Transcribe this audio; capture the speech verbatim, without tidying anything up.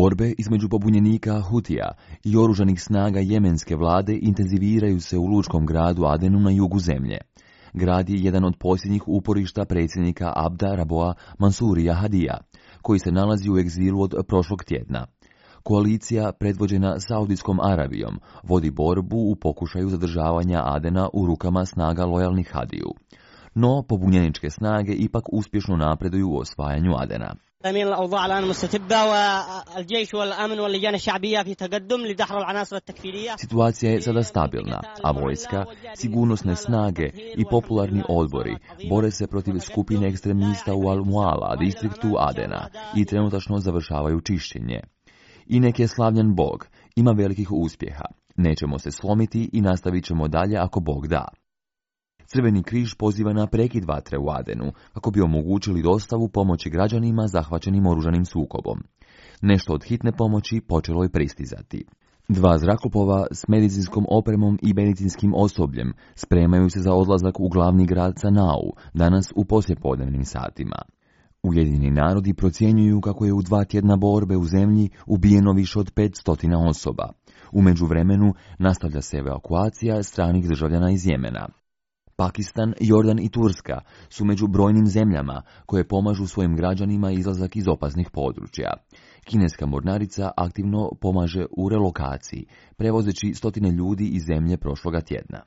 Borbe između pobunjenika Hutija i oružanih snaga jemenske vlade intenziviraju se u lučkom gradu Adenu na jugu zemlje. Grad je jedan od posljednjih uporišta predsjednika Abda Raboa Mansurija Hadija, koji se nalazi u egzilu od prošlog tjedna. Koalicija, predvođena Saudijskom Arabijom, vodi borbu u pokušaju zadržavanja Adena u rukama snaga lojalnih Hadiju. No, pobunjeničke snage ipak uspješno napreduju u osvajanju Adena. Situacija je sada stabilna, a vojska, sigurnosne snage i popularni odbori bore se protiv skupine ekstremista u Al-Muala, distriktu Adena, i trenutačno završavaju čišćenje. Inek je slavljen Bog, ima velikih uspjeha. Nećemo se slomiti i nastavit ćemo dalje ako Bog da. Crveni križ poziva na prekid vatre u Adenu, kako bi omogućili dostavu pomoći građanima zahvaćenim oružanim sukobom. Nešto od hitne pomoći počelo je pristizati. Dva zrakoplova s medicinskom opremom i medicinskim osobljem spremaju se za odlazak u glavni grad Sanau, danas u poslijepodnevnim satima. Ujedinjeni narodi procjenjuju kako je u dva tjedna borbe u zemlji ubijeno više od petsto osoba. U međuvremenu nastavlja se evakuacija stranih državljana iz Jemena. Pakistan, Jordan i Turska su među brojnim zemljama koje pomažu svojim građanima izlazak iz opasnih područja. Kineska mornarica aktivno pomaže u relokaciji, prevozeći stotine ljudi iz zemlje prošloga tjedna.